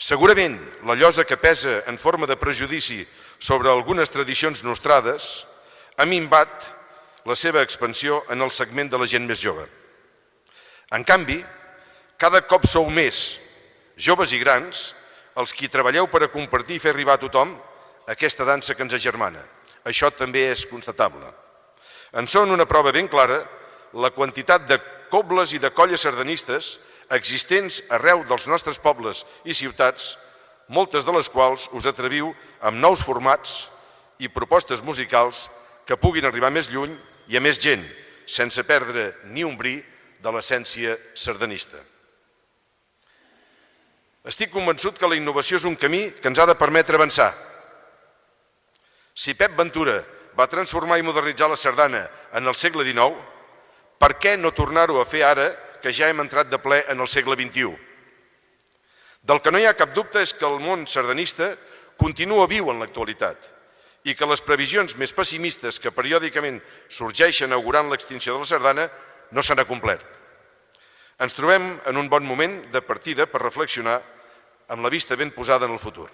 Segurament la llosa que pesa en forma de prejudici sobre algunes tradicions nostrades ha minvat la seva expansió en el segment de la gent més jove. En canvi, cada cop sou més, joves i grans, els qui treballeu per a compartir i fer arribar a tothom aquesta dansa que ens agermana. Això també és constatable. En són una prova ben clara la quantitat de cobles i de colles sardanistes existents arreu dels nostres pobles i ciutats, moltes de les quals us atreviu amb nous formats i propostes musicals que puguin arribar més lluny i a més gent, sense perdre ni un bri de l'essència sardanista. Estic convençut que la innovació és un camí que ens ha de permetre avançar. Si Pep Ventura va transformar i modernitzar la sardana en el segle XIX, per què no tornar-ho a fer ara que ja hem entrat de ple en el segle XXI? Del que no hi ha cap dubte és que el món sardanista continua viu en l'actualitat i que les previsions més pessimistes que periòdicament sorgeixen augurant l'extinció de la sardana no s'han acomplert. Ens trobem en un bon moment de partida per reflexionar amb la vista ben posada en el futur.